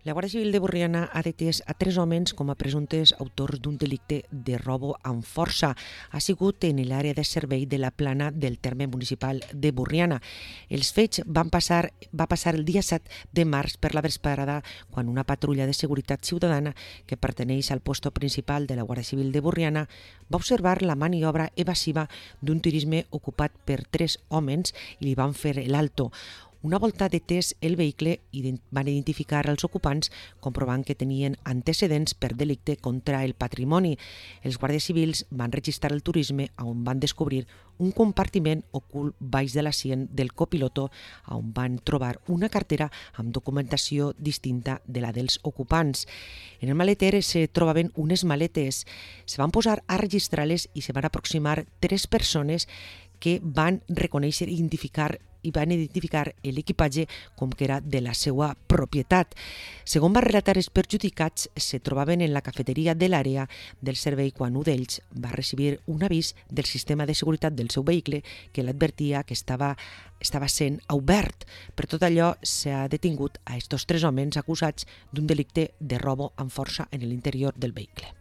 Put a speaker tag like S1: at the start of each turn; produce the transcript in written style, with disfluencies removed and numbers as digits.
S1: La Guàrdia Civil de Borriana ha detès a 3 homes com a presumptes autors d'un delicte de robo amb força. Ha sigut en l'àrea de servei de la Plana del terme municipal de Borriana. Els fets va passar el dia 7 de març per la vesprada, quan una patrulla de seguretat ciutadana que perteneix al posto principal de la Guàrdia Civil de Borriana va observar la maniobra evasiva d'un turisme ocupat per 3 homes i li van fer l'alto. Una volta detès el vehicle, van identificar els ocupants, comprovant que tenien antecedents per delicte contra el patrimoni. Els guàrdies civils van registrar el turisme, on van descobrir un compartiment ocult baix de l'assient del copiloto, on van trobar una cartera amb documentació distinta de la dels ocupants. En el maleter se trobaven unes maletes. Se van posar a registrar-les i se van aproximar 3 persones que van reconèixer i van identificar l'equipatge com que era de la seva propietat. Segons va relatar els perjudicats, se trobaven en la cafeteria de l'àrea del servei quan un d'ells va recibir un avís del sistema de seguretat del seu vehicle que l'advertia que estava sent obert. Per tot allò, s'ha detingut a estos 3 homes acusats d'un delicte de robo amb força en l'interior del vehicle.